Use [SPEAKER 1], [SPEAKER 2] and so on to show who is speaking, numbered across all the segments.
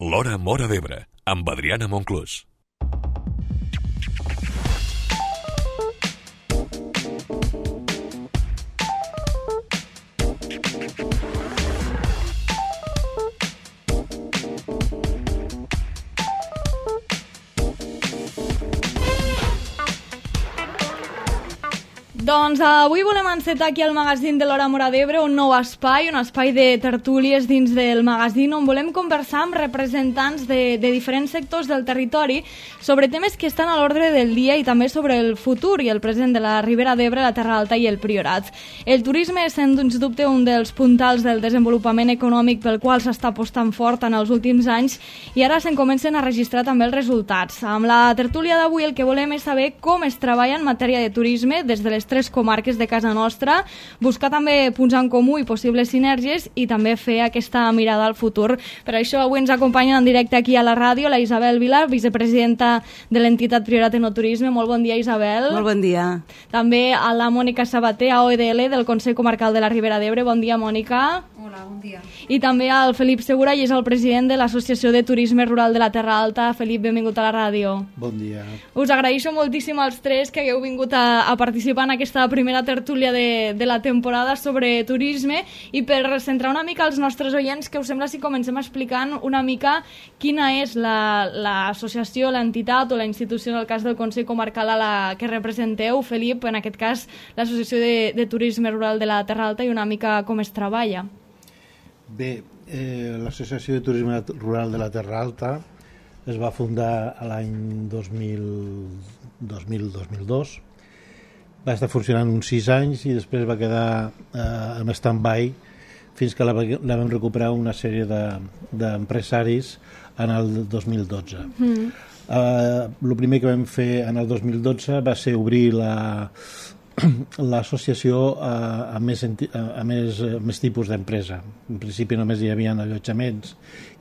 [SPEAKER 1] L'Hora Móra d'Ebre, amb Adriana Monclús.
[SPEAKER 2] Doncs avui volem encetar aquí al magazín de l'Hora Móra d'Ebre un nou espai, un espai de tertúlies dins del magazín on volem conversar amb representants de diferents sectors del territori sobre temes que estan a l'ordre del dia i també sobre el futur i el present de la Ribera d'Ebre, la Terra Alta i el Priorat. El turisme és, sens dubte, un dels puntals del desenvolupament econòmic pel qual s'està apostant fort en els últims anys i ara se'n comencen a registrar també els resultats. Amb la tertúlia d'avui el que volem és saber com es treballa en matèria de turisme des de les tres comarques de casa nostra, buscar també punts en comú i possibles sinergies i també fer aquesta mirada al futur. Per això avui ens acompanyen en directe aquí a la ràdio la Isabel Vila, vicepresidenta de l'entitat Priorat Enoturisme. Molt bon dia, Isabel.
[SPEAKER 3] Molt bon dia.
[SPEAKER 2] També a la Mònica Sabater, AOEDL, del Consell Comarcal de la Ribera d'Ebre. Bon dia, Mònica.
[SPEAKER 4] Hola, bon dia.
[SPEAKER 2] I també al Felip Segura, i és el president de l'Associació de Turisme Rural de la Terra Alta. Felip, benvingut a la ràdio.
[SPEAKER 5] Bon dia.
[SPEAKER 2] Us agraeixo moltíssim als tres que hagueu vingut a participar en aquesta primera tertúlia de la temporada sobre turisme, i per centrar una mica els nostres oients, que us sembla si comencem explicant una mica quina és l'associació, l'entitat o la institució, en el cas del Consell Comarcal, a la que representeu. Felip, en aquest cas l'Associació de Turisme Rural de la Terra Alta, i una mica com es treballa.
[SPEAKER 5] Bé, l'Associació de Turisme Rural de la Terra Alta es va fundar l'any 2002. Va estar funcionant uns 6 anys i després va quedar en stand-by fins que la vam recuperar una sèrie d'empresaris en el 2012. El primer que vam fer en el 2012 va ser obrir l'associació a més tipus d'empresa. En principi només hi havia allotjaments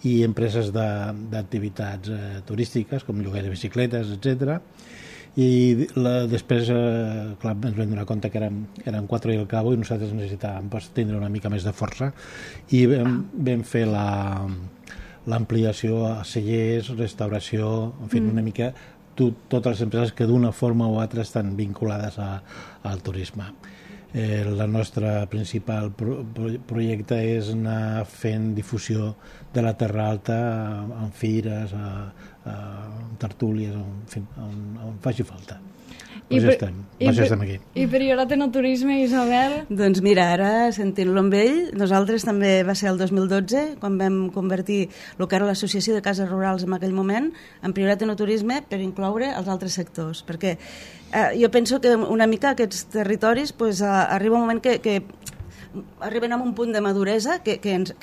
[SPEAKER 5] i empreses d'activitats turístiques com lloguer de bicicletes, etc. I després clar, ens vam donar compte que eren 4 i al cabo i nosaltres necessitàvem tindre una mica més de força i vam fer l'ampliació a cellers, restauració, en fi, una mica totes les empreses que d'una forma o altra estan vinculades al turisme. El nostre principal projecte és anar fent difusió de la Terra Alta en fires, en tertúlies, on faci falta. Estem aquí.
[SPEAKER 2] I Priorat Enoturisme, Isabel?
[SPEAKER 3] Doncs mira, ara sentint-lo amb ell, nosaltres també va ser el 2012 quan vam convertir el que era l'Associació de Cases Rurals en aquell moment en Priorat Enoturisme per incloure els altres sectors, perquè jo penso que una mica aquests territoris arriba un moment que arriben a un punt de maduresa que ens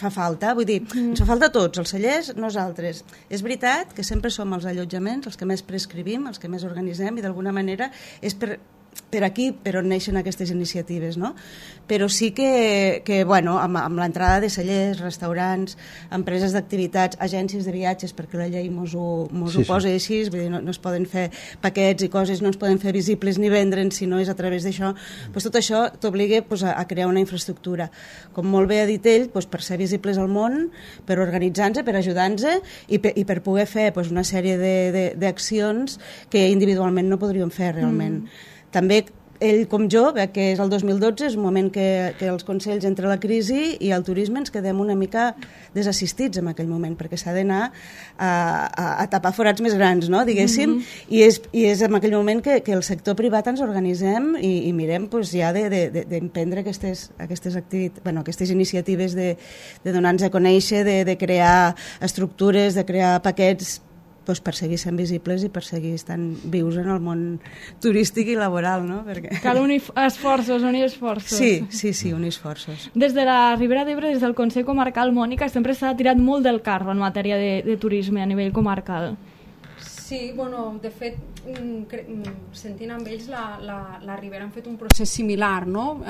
[SPEAKER 3] fa falta, vull dir, ens fa falta a tots, els cellers, nosaltres. És veritat que sempre som els allotjaments els que més prescrivim, els que més organitzem, i d'alguna manera és per aquí per on neixen aquestes iniciatives, no? Però sí que bueno, amb l'entrada de cellers, restaurants, empreses d'activitats, agències de viatges, perquè la llei mos ho posa així, vull dir, no es poden fer paquets i coses, no es poden fer visibles ni vendre'n si no és a través d'això, tot això t'obliga a crear una infraestructura. Com molt bé ha dit ell, per ser visibles al món, per organitzar-nos, per ajudar-nos i per poder fer una sèrie d'accions que individualment no podríem fer realment. També ell com jo, que és el 2012, és un moment que els consells entre la crisi i el turisme ens quedem una mica desassistits en aquell moment, perquè s'ha d'anar a tapar forats més grans, no? Diguéssim, i és en aquell moment que el sector privat ens organitzem i mirem ja d'emprendre aquestes iniciatives de donar-nos a conèixer, de crear estructures, de crear paquets per seguir sent visibles i per seguir estant vius en el món turístic i laboral, no?
[SPEAKER 2] Cal unir esforços.
[SPEAKER 3] Sí, unir esforços.
[SPEAKER 2] Des de la Ribera d'Ebre, des del Consell Comarcal, Mònica, sempre s'ha tirat molt del carro en matèria de turisme a nivell comarcal.
[SPEAKER 4] Sí, bueno, de fet, sentint amb ells, la Ribera han fet un procés similar, no?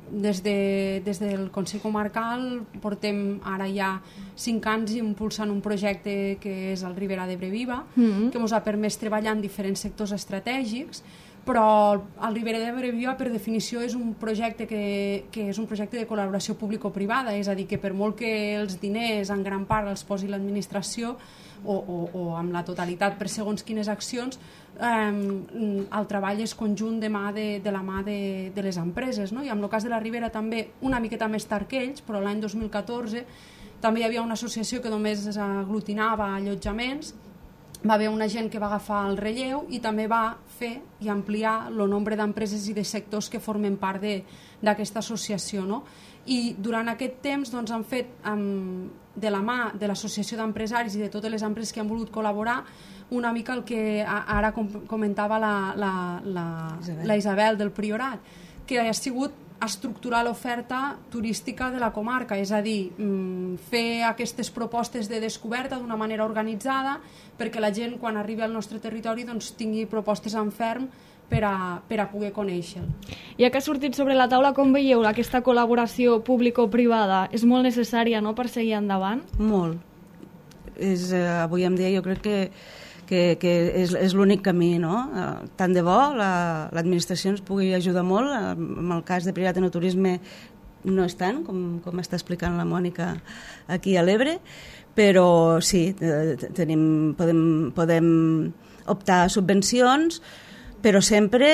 [SPEAKER 4] Des del Consell Comarcal portem ara ja 5 anys impulsant un projecte que és el Ribera d'Ebre Viva, que ens ha permès treballar en diferents sectors estratègics, però el Ribera d'Ebre Viva per definició és un projecte que és un projecte de col·laboració público-privada, és a dir, que per molt que els diners en gran part els posi l'administració o amb la totalitat per segons quines accions, el treball és conjunt de la mà de les empreses, no? I en el cas de la Ribera també una miqueta més tard que ells, però l'any 2014 també hi havia una associació que només aglutinava allotjaments. Va haver una gent que va agafar el relleu i també va fer i ampliar el nombre d'empreses i de sectors que formen part d'aquesta associació, no? I durant aquest temps doncs, han fet de la mà de l'associació d'empresaris i de totes les empreses que han volgut col·laborar una mica el que ara comentava la Isabel del Priorat, que ha sigut estructurar l'oferta turística de la comarca, és a dir, fer aquestes propostes de descoberta d'una manera organitzada perquè la gent quan arribi al nostre territori doncs, tingui propostes en ferm per a poder conèixer-lo.
[SPEAKER 2] Ja que ha sortit sobre la taula, com veieu aquesta col·laboració público-privada? És molt necessària, no?, per seguir endavant?
[SPEAKER 3] Molt. Avui en dia jo crec que és l'únic camí, no? Tant de bo l'administració ens pugui ajudar molt. En el cas de Priorat Enoturisme no és tant, com està explicant la Mònica aquí a l'Ebre, però sí, podem optar a subvencions, però sempre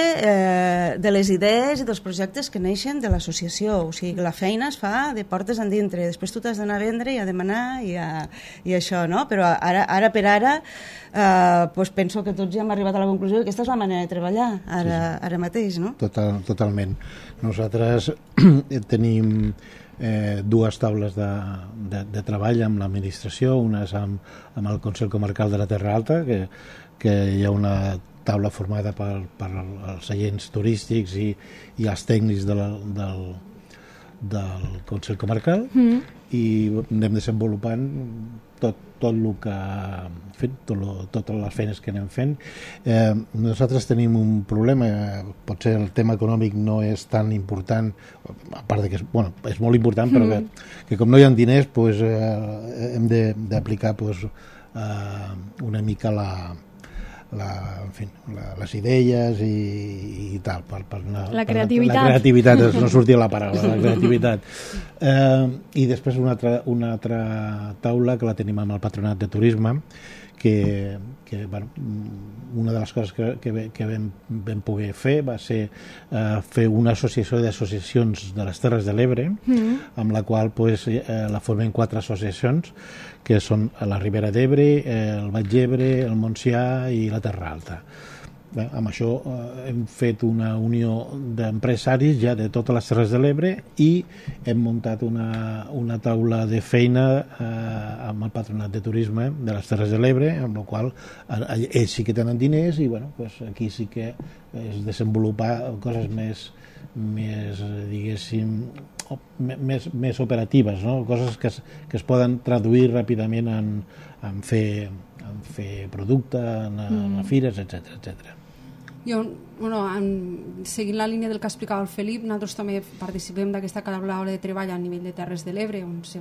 [SPEAKER 3] de les idees i dels projectes que neixen de l'associació. O sigui, la feina es fa de portes endintre, després tu t'has d'anar a vendre i a demanar i això, no? Però ara per ara doncs penso que tots ja hem arribat a la conclusió que aquesta és la manera de treballar ara mateix, no?
[SPEAKER 5] Totalment. Nosaltres tenim dues taules de treball amb l'administració, una és amb el Consell Comarcal de la Terra Alta, que hi ha una taula formada per els agents turístics i els tècnics del Consell Comarcal i anem desenvolupant tot el que fent, totes les feines que anem fent. Nosaltres tenim un problema, potser el tema econòmic no és tan important, a part de que és molt important, però que com no hi ha diners hem d'aplicar una mica les idees i tal,
[SPEAKER 2] la creativitat.
[SPEAKER 5] La creativitat, no sortia la paraula, la creativitat. I després una altra taula que la tenim amb el Patronat de Turisme, que una de les coses que vam poder fer va ser fer una associació d'associacions de les Terres de l'Ebre, amb la qual la formen 4 associacions, que són la Ribera d'Ebre, el Baix d'Ebre, el Montsià i la Terra Alta. Amb això hem fet una unió d'empresaris ja de totes les Terres de l'Ebre i hem muntat una taula de feina amb el Patronat de Turisme de les Terres de l'Ebre, amb la qual ells sí que tenen diners i aquí sí que és desenvolupar coses més diguéssim més operatives, no? Coses que es poden traduir ràpidament en fer producte, en fires, etc.
[SPEAKER 4] Jo, seguint la línia del que explicava el Felip, nosaltres també participem d'aquesta taula de treball a nivell de Terres de l'Ebre, on se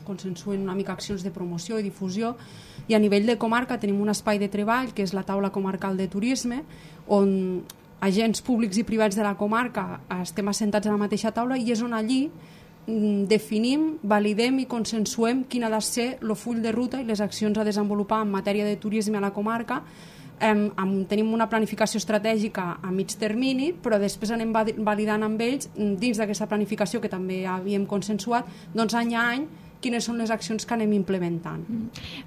[SPEAKER 4] consensuen una mica accions de promoció i difusió, i a nivell de comarca tenim un espai de treball, que és la taula comarcal de turisme, on agents públics i privats de la comarca estem assentats a la mateixa taula i és on allí definim, validem i consensuem quin ha de ser el full de ruta i les accions a desenvolupar en matèria de turisme a la comarca. Tenim una planificació estratègica a mig termini, però després anem validant amb ells, dins d'aquesta planificació que també havíem consensuat, doncs any a any quines són les accions que anem implementant.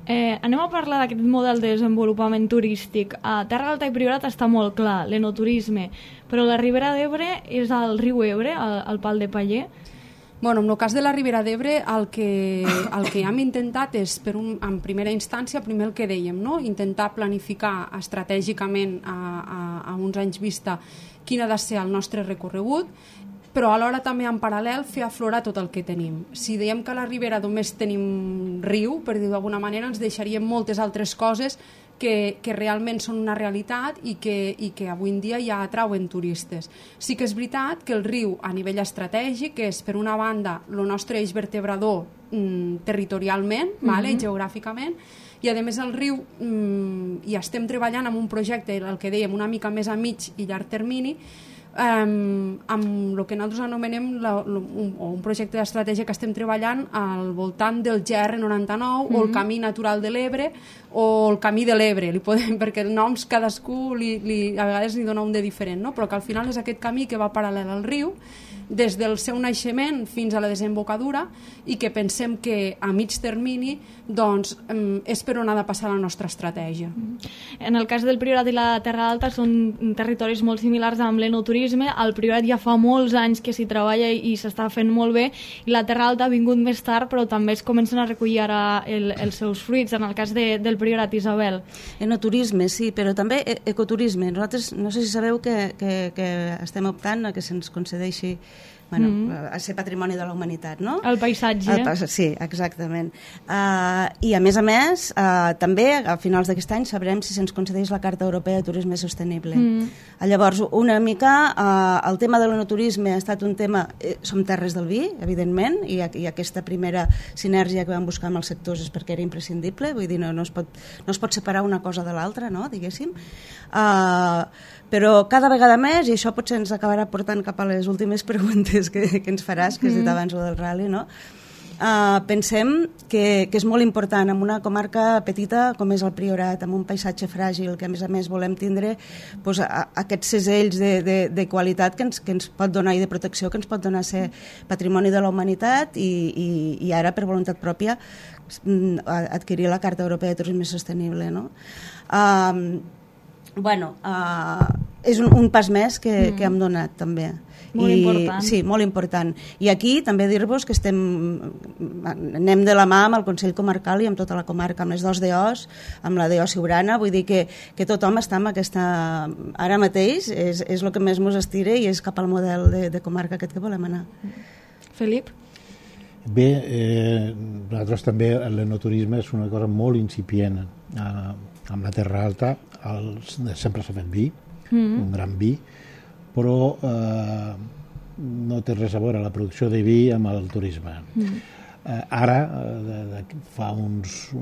[SPEAKER 2] Anem a parlar d'aquest model de desenvolupament turístic. A Terra Alta i Priorat està molt clar, l'enoturisme, però la Ribera d'Ebre és el riu Ebre, el Pal de Paller.
[SPEAKER 4] En el cas de la Ribera d'Ebre el que hem intentat és, en primera instància, primer el que dèiem, no? Intentar planificar estratègicament a uns anys vista quin ha de ser el nostre recorregut, però alhora també en paral·lel fer aflorar tot el que tenim. Si dèiem que a la Ribera només tenim riu, per dir-ho d'alguna manera, ens deixaríem moltes altres coses que realment són una realitat i que avui en dia ja atrauen turistes. Sí que és veritat que el riu a nivell estratègic és, per una banda, el nostre eix vertebrador territorialment, geogràficament, i a més el riu hi estem treballant amb un projecte, el que dèiem, una mica més a mig i llarg termini, amb el que nosaltres anomenem un projecte d'estratègia que estem treballant al voltant del GR99 o el Camí Natural de l'Ebre o el Camí de l'Ebre, perquè els noms cadascú a vegades li dona un de diferent, no? Però que al final és aquest camí que va paral·lel al riu des del seu naixement fins a la desembocadura i que pensem que a mig termini doncs, és per on ha de passar la nostra estratègia.
[SPEAKER 2] En el cas del Priorat i la Terra Alta són territoris molt similars amb l'enoturisme. Al Priorat ja fa molts anys que s'hi treballa i s'està fent molt bé, i la Terra Alta ha vingut més tard, però també es comencen a recollir ara els seus fruits, en el cas del Priorat, Isabel.
[SPEAKER 3] Enoturisme, sí, però també ecoturisme. Nosaltres, no sé si sabeu que estem optant a que se'ns concedeixi a ser patrimoni de la humanitat, no?
[SPEAKER 2] El paisatge.
[SPEAKER 3] Sí, exactament. I a més, també a finals d'aquest any sabrem si se'ns concedeix la Carta Europea de Turisme Sostenible. Llavors, una mica, el tema de l'enoturisme ha estat un tema... Som terres del vi, evidentment, i aquesta primera sinergia que vam buscar amb els sectors és perquè era imprescindible, vull dir, no es pot separar una cosa de l'altra, no?, diguéssim. Però cada vegada més, i això potser ens acabarà portant cap a les últimes preguntes que ens faràs, que has dit abans del rally, no? Pensem que és molt important en una comarca petita com és el Priorat, amb un paisatge fràgil, que a més volem tindre aquests segells de qualitat que ens pot donar i de protecció que ens pot donar ser patrimoni de la humanitat i ara per voluntat pròpia adquirir la Carta Europea de Turisme Sostenible, no? És un pas més que hem donat també.
[SPEAKER 2] Molt important.
[SPEAKER 3] Sí, molt important. I aquí també dir-vos que anem de la mà amb el Consell Comarcal i amb tota la comarca, amb les dos DOs, amb la DO Siurana, vull dir que tothom està amb aquesta... Ara mateix és el que més mos estira i és cap al model de comarca aquest que volem anar.
[SPEAKER 2] Felip?
[SPEAKER 5] Bé, nosaltres també l'enoturisme és una cosa molt incipient. Amb la Terra Alta sempre s'ha fet vi, un gran vi, però no té res a veure la producció de vi amb el turisme. Ara, fa uns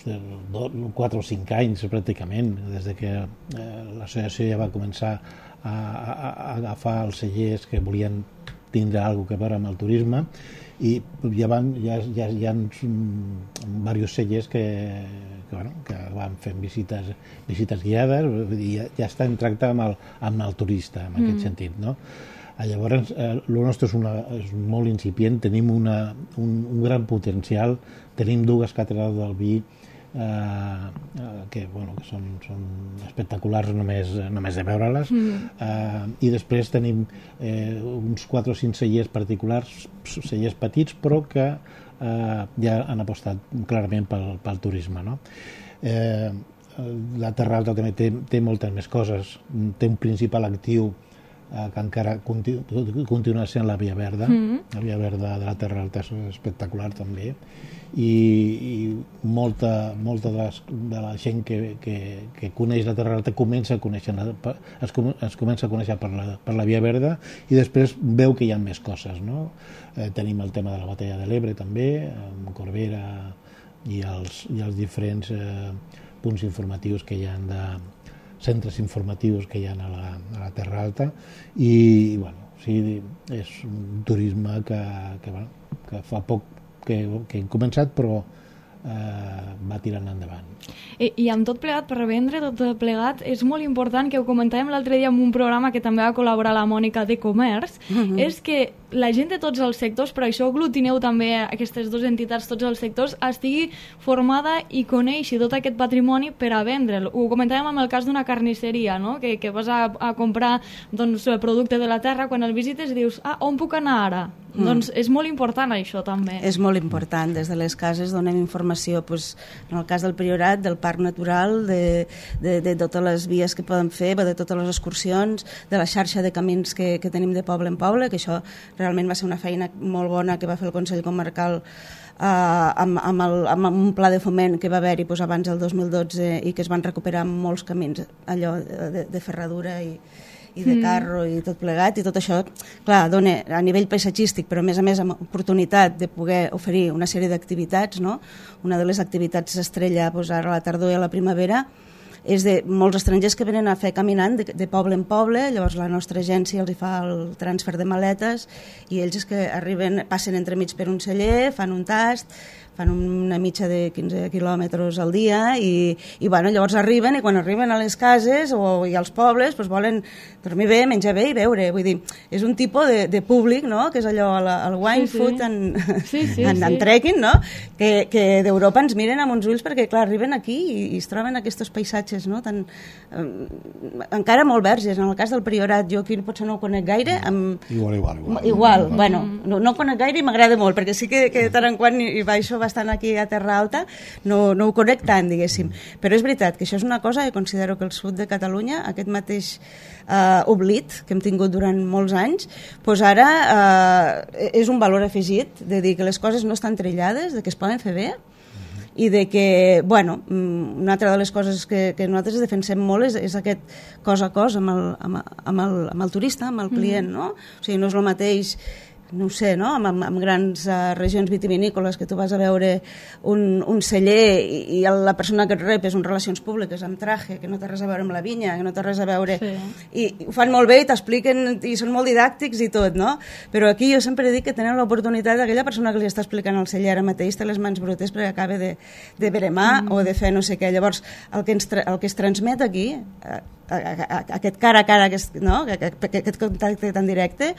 [SPEAKER 5] 4 o 5 anys pràcticament, des que l'associació ja va començar a agafar els cellers que volien tindre alguna cosa a veure amb el turisme, i hi ha diversos cellers que van fent visites guiades i ja estan tractant amb el turista en aquest sentit, no? Llavors el nostre és molt incipient, tenim un gran potencial, tenim 2 càtedres del vi que són espectaculars només de veure-les, i després tenim uns 4 o 5 cellers particulars, cellers petits, però que ja han apostat clarament pel turisme, no? La Terra Alta també té moltes més coses, té un principal actiu que encara continua sent la Via Verda. La Via Verda de la Terra Alta és espectacular també, i molta de la gent que coneix la Terra Alta comença a conèixer per la Via Verda i després veu que hi ha més coses, no? Tenim el tema de la Batalla de l'Ebre també, amb Corbera i els diferents punts informatius que hi ha centres informatius que hi ha a la Terra Alta, i sí, és un turisme que fa poc que hem començat, però va tirant endavant.
[SPEAKER 2] I amb tot plegat, per vendre tot plegat, és molt important, que ho comentàvem l'altre dia en un programa que també va col·laborar la Mònica de Comerç, és que la gent de tots els sectors, per això aglutineu també aquestes 2 entitats, tots els sectors, estigui formada i coneixi tot aquest patrimoni per a vendre'l. Ho comentàvem amb el cas d'una carnisseria, no? Que vas a comprar el producte de la terra, quan el visites dius, on puc anar ara? Doncs és molt important això també.
[SPEAKER 3] És molt important. Des de les cases donem informació, en el cas del Priorat, del parc natural, de totes les vies que poden fer, de totes les excursions, de la xarxa de camins que tenim de poble en poble, que això realment va ser una feina molt bona que va fer el Consell Comarcal amb un pla de foment que va haver-hi abans del 2012 i que es van recuperar molts camins allò de ferradura i de carro i tot plegat, i tot això, clar, dona a nivell paisatgístic, però a més amb oportunitat de poder oferir una sèrie d'activitats, no? Una de les activitats estrella doncs, ara a la tardor i a la primavera és de molts estrangers que venen a fer caminant de poble en poble, llavors la nostra agència els hi fa el transfer de maletes i ells és que arriben, passen entremig per un celler, fan un tast, fan una mitja de 15 quilòmetres al dia i bueno, llavors arriben i quan arriben a les cases i als pobles doncs volen dormir bé, menjar bé i beure. Vull dir, és un tipus de públic, no? Que és allò, el wine, food and trekking, no? Que d'Europa ens miren amb uns ulls perquè, clar, arriben aquí i es troben aquests paisatges, no? Encara molt verges. En el cas del Priorat, jo aquí potser no ho conec gaire. Igual. Bueno, no conec gaire i m'agrada molt, perquè sí que de tant en quant hi baixo bastant aquí a Terra Alta, no ho conec tant, diguéssim. Però és veritat que això és una cosa que considero que el sud de Catalunya, aquest mateix oblit que hem tingut durant molts anys, doncs ara és un valor afegit de dir que les coses no estan trillades, de que es poden fer bé i de que, bueno, una altra de les coses que nosaltres defensem molt és aquest cos a cos amb el turista, amb el client, no? O sigui, no és el mateix, no ho sé, no? Amb grans regions vitivinícoles que tu vas a veure un celler i la persona que et rep és un relacions públiques amb traje, que no té res a veure amb la vinya, que no té res a veure... I ho fan molt bé i t'expliquen i són molt didàctics i tot, no? Però aquí jo sempre dic que tenen l'oportunitat d'aquella persona que li està explicant al celler ara mateix té les mans brutes perquè acaba de veremar o de fer no sé què. Llavors, el que es transmet aquí, aquest cara a cara, aquest contacte tan directe,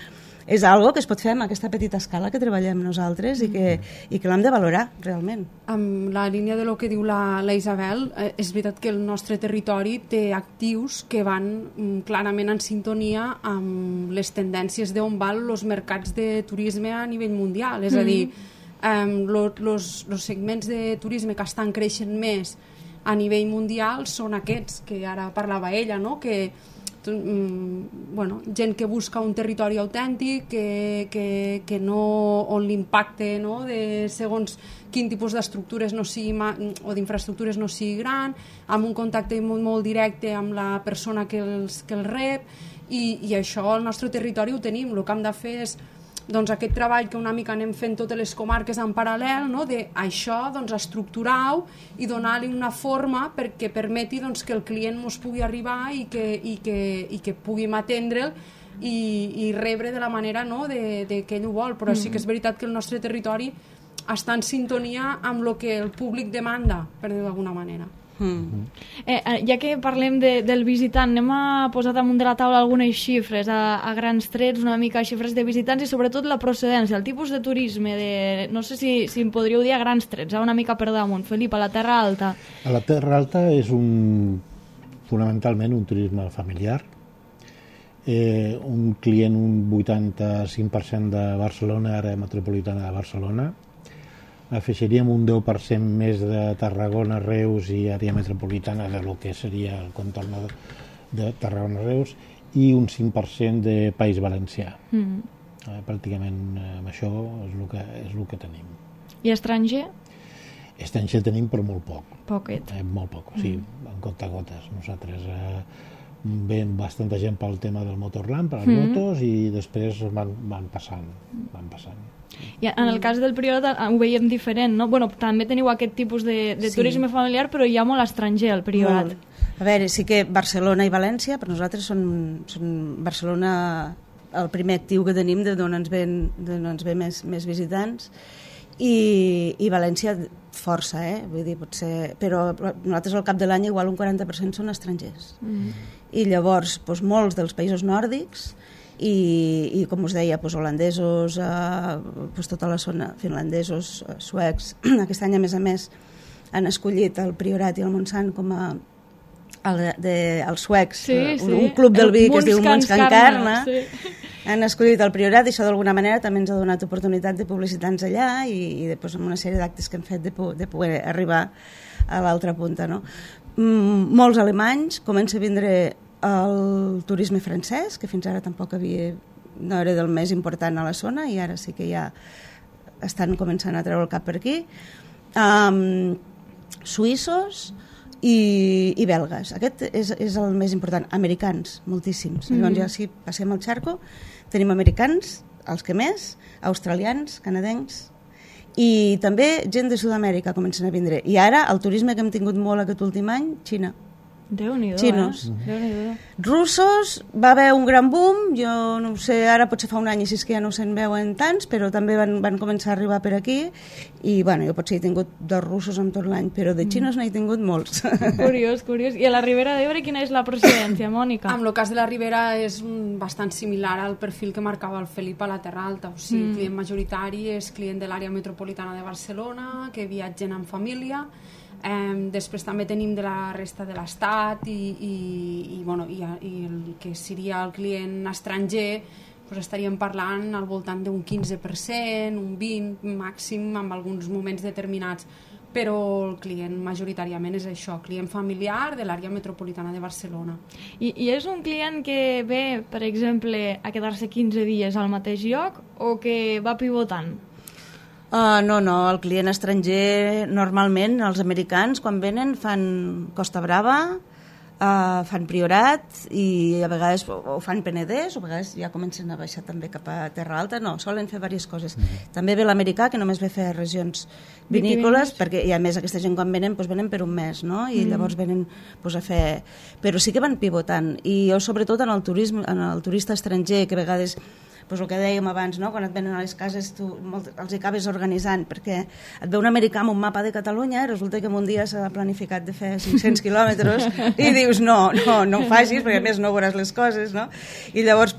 [SPEAKER 3] és algo que es pot fer amb aquesta petita escala que treballem nosaltres i que l'hem de valorar realment.
[SPEAKER 4] Amb la línia de lo que diu la Isabel, és veritat que el nostre territori té actius que van clarament en sintonia amb les tendències d'on van els mercats de turisme a nivell mundial. És a dir, els segments de turisme que estan creixent més a nivell mundial són aquests, que ara parlava ella, no? Que gent que busca un territori autèntic que no, on l'impacte, no, de segons quin tipus d'estructures no sigui o d'infraestructures no sigui gran, amb un contacte molt directe amb la persona que els rep i això al nostre territori ho tenim. El que hem de fer és doncs, aquest treball que una mica anem fent totes les comarques en paral·lel, no? D'això doncs, estructurar-ho i donar-li una forma perquè permeti doncs, que el client ens pugui arribar i que puguem atendre'l i rebre de la manera, no? de que ell ho vol. Però sí que és veritat que el nostre territori està en sintonia amb el que el públic demanda, per dir-ho d'alguna manera.
[SPEAKER 2] Ja que parlem del visitant, anem a posar damunt de la taula algunes xifres a grans trets, una mica xifres de visitants i sobretot la procedència, el tipus de turisme no sé si em podríeu dir a grans trets, una mica per damunt. Felip, a la Terra Alta. A
[SPEAKER 5] la Terra Alta és fonamentalment un turisme familiar, un client, un 85% de Barcelona, àrea metropolitana de Barcelona. Afegiríem un 10% més de Tarragona, Reus i àrea metropolitana de lo que seria el contorn de Tarragona-Reus i un 5% de País Valencià. Pràcticament amb això és el que tenim.
[SPEAKER 2] I estranger?
[SPEAKER 5] Estranger tenim, però molt poc.
[SPEAKER 2] Poquet.
[SPEAKER 5] Molt poc, sí, en compte-gotes. Nosaltres ven bastanta gent pel tema del Motorland, per les motos, i després van passant.
[SPEAKER 2] I en el cas del Priorat ho veiem diferent, no? Bueno, també teniu aquest tipus de turisme familiar, però hi ha molt estranger al Priorat.
[SPEAKER 3] A veure, sí que Barcelona i València, per nosaltres són Barcelona el primer actiu que tenim d'on ens ve més visitants, i València força, vull dir, potser, però nosaltres al cap de l'any igual un 40% són estrangers. I llavors molts dels països nòrdics i com us deia, holandesos, tota la zona, finlandesos, suecs. Aquest any, a més, han escollit el Priorat i el Montsant com a els suecs, un club del vi que es diu Månskankarna. Han escollit el Priorat i això d'alguna manera també ens ha donat oportunitat de publicitar-nos allà i amb una sèrie d'actes que hem fet de poder arribar a l'altra punta, no? Molts alemanys, comença a vindre el turisme francès, que fins ara tampoc no era del més important a la zona i ara sí que ja estan començant a treure el cap per aquí, suïssos i belgues. Aquest és el més important. Americans, moltíssims. Llavors ja si passem al xarco, tenim americans, els que més, australians, canadencs, i també gent de Sud-amèrica comencen a vindre. I ara el turisme que hem tingut molt aquest últim any, Xina.
[SPEAKER 2] Déu-n'hi-do,
[SPEAKER 3] Xinos.
[SPEAKER 2] Déu-n'hi-do.
[SPEAKER 3] Russos, va haver un gran boom, jo no ho sé, ara potser fa un any així que ja no se'n veuen tants, però també van començar a arribar per aquí, i bueno, jo potser he tingut 2 russos en tot l'any, però de xinos n'he tingut molts.
[SPEAKER 2] Curiós, curiós. I a la Ribera d'Ebre quina és la procedència, Mònica?
[SPEAKER 4] En el cas de la Ribera és bastant similar al perfil que marcava el Felip a la Terra Alta, o sigui, el client majoritari és client de l'àrea metropolitana de Barcelona, que viatgen en família. Després també tenim de la resta de l'estat i el que seria el client estranger, doncs estaríem parlant al voltant d'un 15%, un 20% màxim en alguns moments determinats, però el client majoritàriament és això, client familiar de l'àrea metropolitana de Barcelona.
[SPEAKER 2] I és un client que ve, per exemple, a quedar-se 15 dies al mateix lloc o que va pivotant?
[SPEAKER 3] No, el client estranger normalment, els americans quan venen fan Costa Brava, fan Priorat i a vegades o fan Penedès o a vegades ja comencen a baixar també cap a Terra Alta, no, solen fer diverses coses. També ve l'americà que només ve fer regions vinícoles, perquè i a més aquesta gent quan venen venen per un mes, no? I llavors venen a fer... Però sí que van pivotant i jo sobretot en el turisme, en el turista estranger que a vegades el que dèiem abans, no? Quan et venen a les cases tu els acabes organitzant perquè et ve un americà amb un mapa de Catalunya i resulta que en un dia s'ha planificat de fer 500 quilòmetres i dius no ho facis perquè a més no veuràs les coses, no? I llavors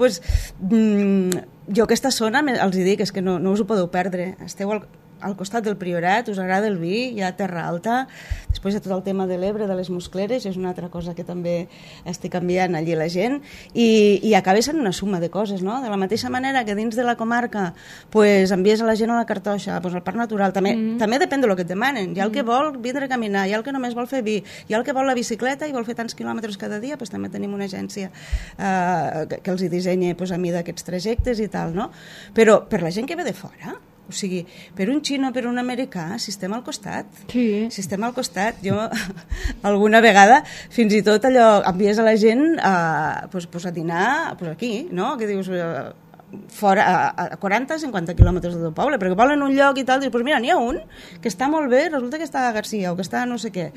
[SPEAKER 3] jo aquesta zona els dic és que no us ho podeu perdre, esteu al costat del Priorat, us agrada el vi, hi ha Terra Alta, després hi ha tot el tema de l'Ebre, de les Muscleres, és una altra cosa que també estic canviant allí la gent, i acaba sent una suma de coses, no? De la mateixa manera que dins de la comarca envies a la gent a la Cartoixa, al Parc Natural, també depèn del que et demanen, hi ha el que vol vindre a caminar, hi ha el que només vol fer vi, hi ha el que vol la bicicleta i vol fer tants quilòmetres cada dia, també tenim una agència que els hi dissenya a mida aquests trajectes i tal, no? Però per la gent que ve de fora, o sigui, per un xino, per un americà, si estem al costat.
[SPEAKER 2] Sí.
[SPEAKER 3] Si estem al costat, jo alguna vegada fins i tot allò envies a la gent a dinar aquí, no? Que dius fora a 40-50 quilòmetres del teu poble, perquè volen un lloc i tal, dius, mira, n'hi ha un que està molt bé, resulta que està a Garcia o que està a no sé què,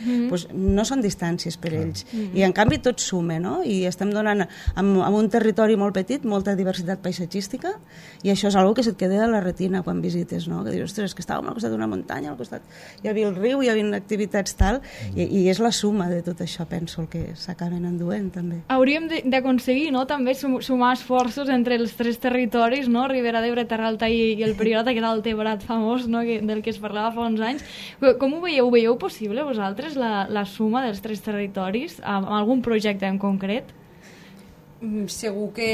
[SPEAKER 3] no són distàncies per ells, i en canvi tot suma, no? I estem donant amb un territori molt petit molta diversitat paisatgística, i això és una que se't queda a la retina quan visites, no? Que dius, ostres, que estàvem al costat d'una muntanya, al costat hi havia el riu, hi havia activitats tal, i és la suma de tot això, penso, el que s'acaben enduent també.
[SPEAKER 2] Hauríem d'aconseguir, no?, també sumar esforços entre els 3 territoris, no? Ribera d'Ebre, Terra Alta i el Priorat, aquest Altebrat famós, no? Del que es parlava fa uns anys. Com ho veieu? Ho veieu possible vosaltres, la suma dels 3 territoris, amb algun projecte en concret?
[SPEAKER 4] Segur que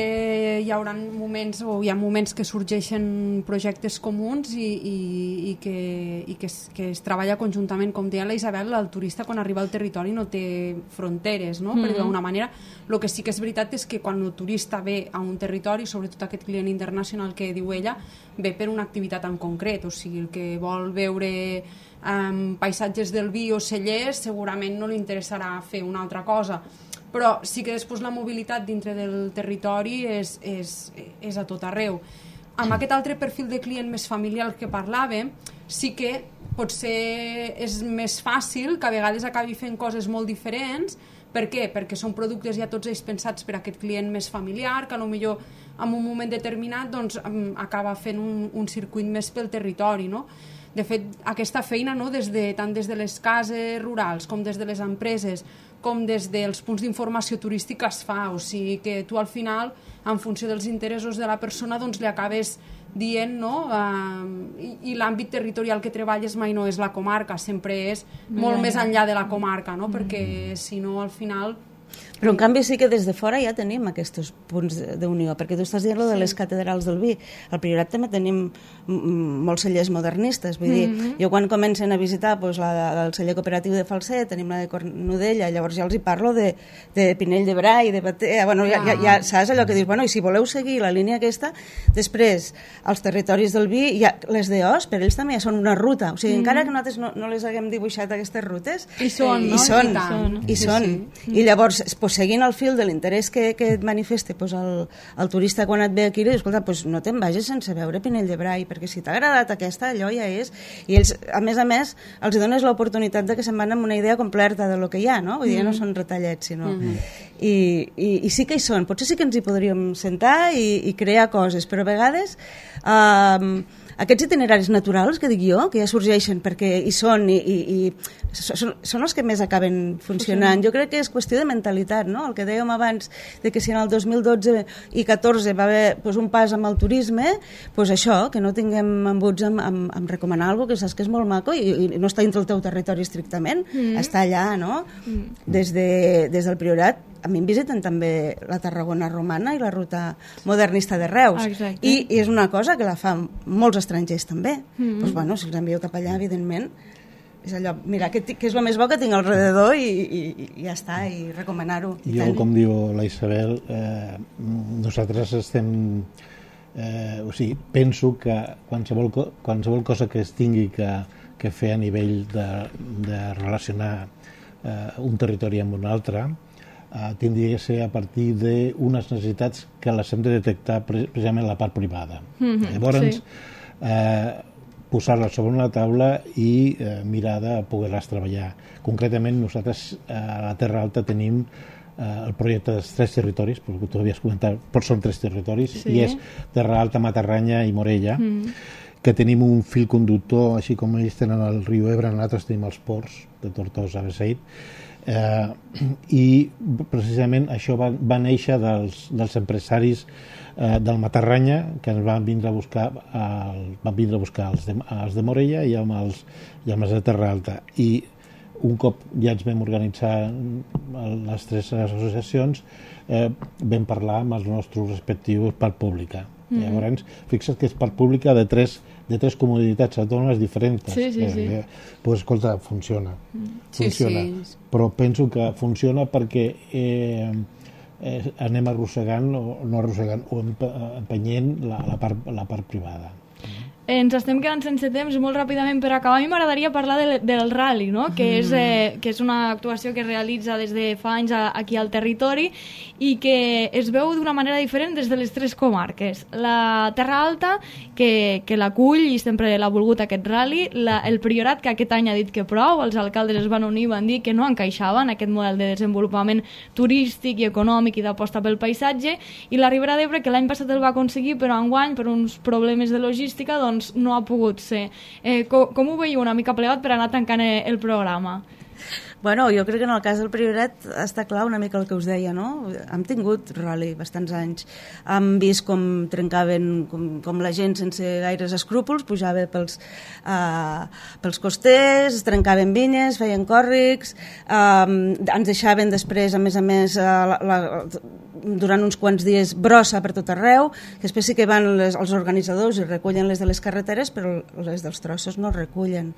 [SPEAKER 4] hi haurà moments o hi ha moments que sorgeixen projectes comuns i que es treballa conjuntament. Com deia la Isabel, el turista quan arriba al territori no té fronteres, no? Per d'alguna manera. El que sí que és veritat és que quan el turista ve a un territori, sobretot aquest client internacional que diu ella, ve per una activitat en concret, o sigui, el que vol veure paisatges del vi o cellers segurament no li interessarà fer una altra cosa, però sí que després la mobilitat dintre del territori és a tot arreu. Amb aquest altre perfil de client més familiar que parlàvem, sí que potser és més fàcil que a vegades acabi fent coses molt diferents. Per què? Perquè són productes ja tots ells pensats per a aquest client més familiar, que potser en un moment determinat acaba fent un circuit més pel territori, no? De fet, aquesta feina, no, tant des de les cases rurals com des de les empreses com des dels punts d'informació turística es fa, o sigui que tu al final, en funció dels interessos de la persona, doncs li acabes dient, no? I l'àmbit territorial que treballes mai no és la comarca, sempre és molt més enllà de la comarca, no? Perquè si no al final
[SPEAKER 3] Però en canvi sí que des de fora ja tenim aquests punts d'unió, perquè tu estàs dient de les catedrals del vi. Al Priorat també tenim molts cellers modernistes, vull dir, jo quan comencen a visitar el celler cooperatiu de Falset, tenim la de Cornudella, llavors ja els hi parlo de Pinell de Brai, de Batea, bueno, ja saps allò que dius, bueno, i si voleu seguir la línia aquesta, després, els territoris del vi, les d'Os, per ells també ja són una ruta, o sigui, encara que nosaltres no les haguem dibuixat aquestes rutes,
[SPEAKER 2] i són, no?
[SPEAKER 3] I són. I llavors, seguint el fil de l'interès que et manifesta el turista quan et ve aquí, li dius, escolta, no te'n vagis sense veure Pinell de Brai, perquè si t'ha agradat aquesta, allò ja és. I ells, a més, els dones l'oportunitat de que se'n van amb una idea completa de lo que hi ha, no? Vull dir, no són retallets, sinó... I sí que hi són. Potser sí que ens hi podríem sentar i crear coses, però a vegades... Aquests itineraris naturals, que dic jo, que ja sorgeixen perquè hi són i són els que més acaben funcionant. Jo crec que és qüestió de mentalitat, no? El que dèiem abans, de que si en el 2012 i 2014 va haver un pas amb el turisme, això, que no tinguem embuts amb recomanar alguna cosa que saps que és molt maco i no està dintre el teu territori estrictament, està allà, no? Des del Priorat a mi em visiten també la Tarragona romana i la ruta modernista de Reus. I és una cosa que la fan molts estrangers també. Doncs bueno, si els envio cap allà, evidentment, és allò, mira, que és el més bo que tinc al rededor i ja està, i recomanar-ho.
[SPEAKER 5] Jo, com diu la Isabel, nosaltres estem... o sigui, penso que qualsevol cosa que es tingui que fer a nivell de relacionar un territori amb un altre tindria que ser a partir d'unes necessitats que les hem de detectar precisament a la part privada. Llavors, posar-les sobre una taula i mirar de poder-les treballar. Concretament, nosaltres a la Terra Alta tenim el projecte dels 3 territoris, perquè tu havies comentat, però són 3 territoris, i és Terra Alta, Matarranya i Morella, que tenim un fil conductor, així com ells tenen el riu Ebre, nosaltres tenim els ports de Tortosa, Beseit, i precisament això va néixer dels empresaris del Matarranya, que ens van vindre a buscar els de Morella i amb els de Terra Alta, i un cop ja ens vam organitzar les 3 associacions, vam parlar amb els nostres respectius part pública. Llavors, fixa't que és part pública de tres comunitats autònomes diferents. Pues, escolta, funciona. Però penso que funciona perquè anem arrossegant o empenyent la part privada.
[SPEAKER 2] Ens estem quedant sense temps, molt ràpidament per acabar. A mi m'agradaria parlar del rally, no? Que és una actuació que es realitza des de fa anys aquí al territori i que es veu d'una manera diferent des de les 3 comarques. La Terra Alta, que l'acull i sempre l'ha volgut aquest rally, el Priorat, que aquest any ha dit que prou, els alcaldes es van unir i van dir que no encaixava en aquest model de desenvolupament turístic i econòmic i d'aposta pel paisatge, i la Ribera d'Ebre, que l'any passat el va aconseguir, però enguany, per uns problemes de logística, doncs no ha pogut ser. Com ho veieu una mica plegat per anar tancant el programa?
[SPEAKER 3] Bueno, jo crec que en el cas del Priorat està clar una mica el que us deia, no? Hem tingut rally bastants anys. Hem vist com trencaven, com la gent sense gaires escrúpols pujava pels costers, trencaven vinyes, feien còrrics, ens deixaven després, a més, durant uns quants dies brossa per tot arreu, que després sí que van els organitzadors i recullen les de les carreteres, però les dels trossos no recullen.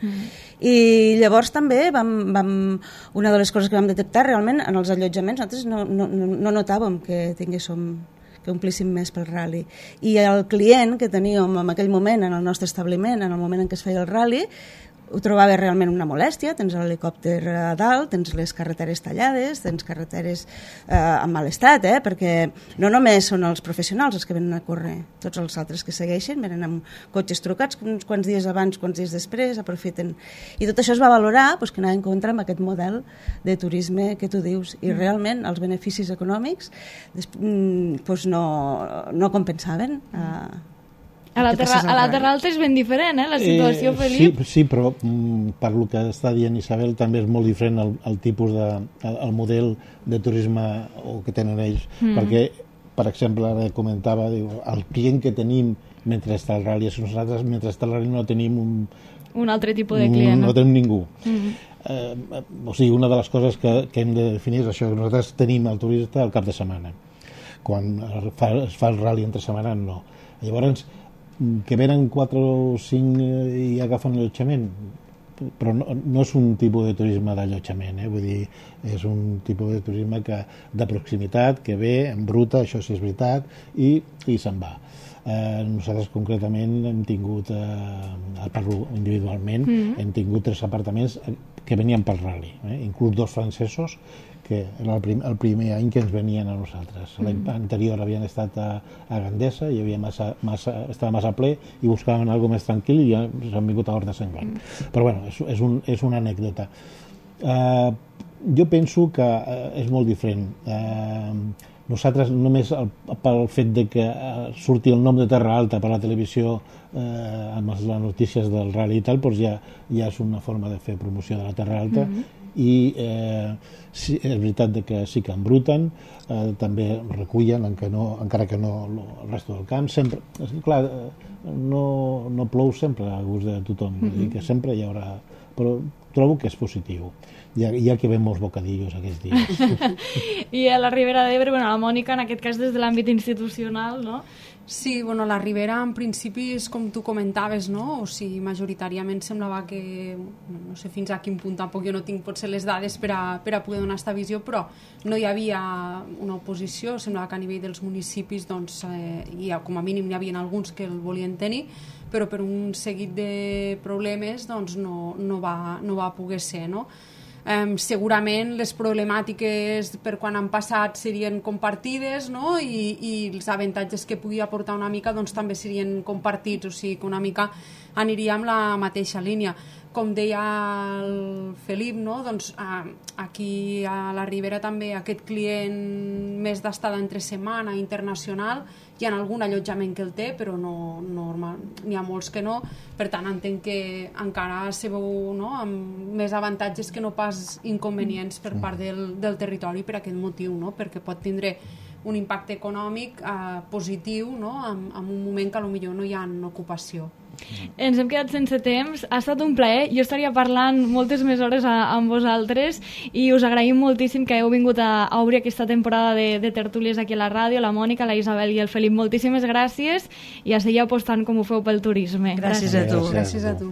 [SPEAKER 3] I llavors també una de les coses que vam detectar realment en els allotjaments, nosaltres no notàvem que omplíssim més pel rally. I el client que teníem en aquell moment en el nostre establiment, en el moment en què es feia el rally, ho trobava realment una molèstia. Tens l'helicòpter a dalt, tens les carreteres tallades, tens carreteres en mal estat, perquè no només són els professionals els que venen a córrer, tots els altres que segueixen venen amb cotxes trucats uns quants dies abans, quants dies després, aprofiten. I tot això es va valorar, que anava en contra amb aquest model de turisme que tu dius, i realment els beneficis econòmics no compensaven
[SPEAKER 2] A la Terra Alta és ben diferent, la situació, Felip?
[SPEAKER 5] Sí, però per lo que està dient Isabel, també és molt diferent el tipus el model de turisme que tenen ells, perquè, per exemple, ara comentava, el client que tenim mentre està el rally, nosaltres mentre està el rally no tenim
[SPEAKER 2] un altre tipus de client.
[SPEAKER 5] No tenim ningú. O sigui, una de les coses que hem de definir és això, que nosaltres tenim el turista al cap de setmana. Quan es fa el rally entre setmana, no. Llavors, que venen 4 o 5 i agafen allotjament, però no és un tipus de turisme d'allotjament, vull dir, és un tipus de turisme de proximitat, que ve, embruta, això sí és veritat, i se'n va. Nosaltres concretament hem tingut, parlo individualment, hem tingut 3 apartaments que venien pel rally, inclús 2 francesos, que era el primer any que ens venien a nosaltres. L'any anterior havien estat a Gandesa, hi havia estava massa ple i buscaven alguna més tranquil i ja s'han vingut a Hort de Sant Joan. Però bueno, és una anècdota. Jo penso que és molt diferent. Nosaltres només pel fet de que surti el nom de Terra Alta per la televisió amb les notícies del rally i tal, doncs ja és una forma de fer promoció de la Terra Alta. I sí, és veritat que sí que embruten, també recullen, encara que no el resto del camp. Sempre, clar, no plou sempre a gust de tothom, vull dir que sempre hi haurà, però trobo que és positiu. Ja que ven molts bocadillos aquests dies.
[SPEAKER 2] I a la Ribera d'Ebre, la Mònica, en aquest cas des de l'àmbit institucional, no?
[SPEAKER 4] Sí, la Ribera en principi és com tu comentaves, no? O sigui, majoritàriament semblava que, no sé fins a quin punt, tampoc jo no tinc potser les dades per a poder donar aquesta visió, però no hi havia una oposició, semblava que a nivell dels municipis, doncs, com a mínim n'hi havia alguns que el volien tenir, però per un seguit de problemes doncs no va poder ser, no? Segurament les problemàtiques per quan han passat serien compartides, no? I els avantatges que pugui aportar una mica doncs també serien compartits, o sigui que una mica aniria amb la mateixa línia. Com deia el Felip, no? Doncs aquí a la Ribera també aquest client més d'estada entre setmana internacional, hi ha algun allotjament que el té, però n'hi ha molts que no, per tant entenc que encara se veu, no? Amb més avantatges que no pas inconvenients per part del territori per aquest motiu, no? Perquè pot tindre un impacte econòmic positiu, no? En un moment que potser no hi ha ocupació.
[SPEAKER 2] Ens hem quedat sense temps, ha estat un plaer, jo estaria parlant moltes més hores amb vosaltres i us agraïm moltíssim que heu vingut a obrir aquesta temporada de tertúlies aquí a la ràdio, la Mònica, la Isabel i el Felip, moltíssimes gràcies i a seguir apostant com ho feu pel turisme.
[SPEAKER 3] Gràcies a tu.
[SPEAKER 4] Gràcies a tu.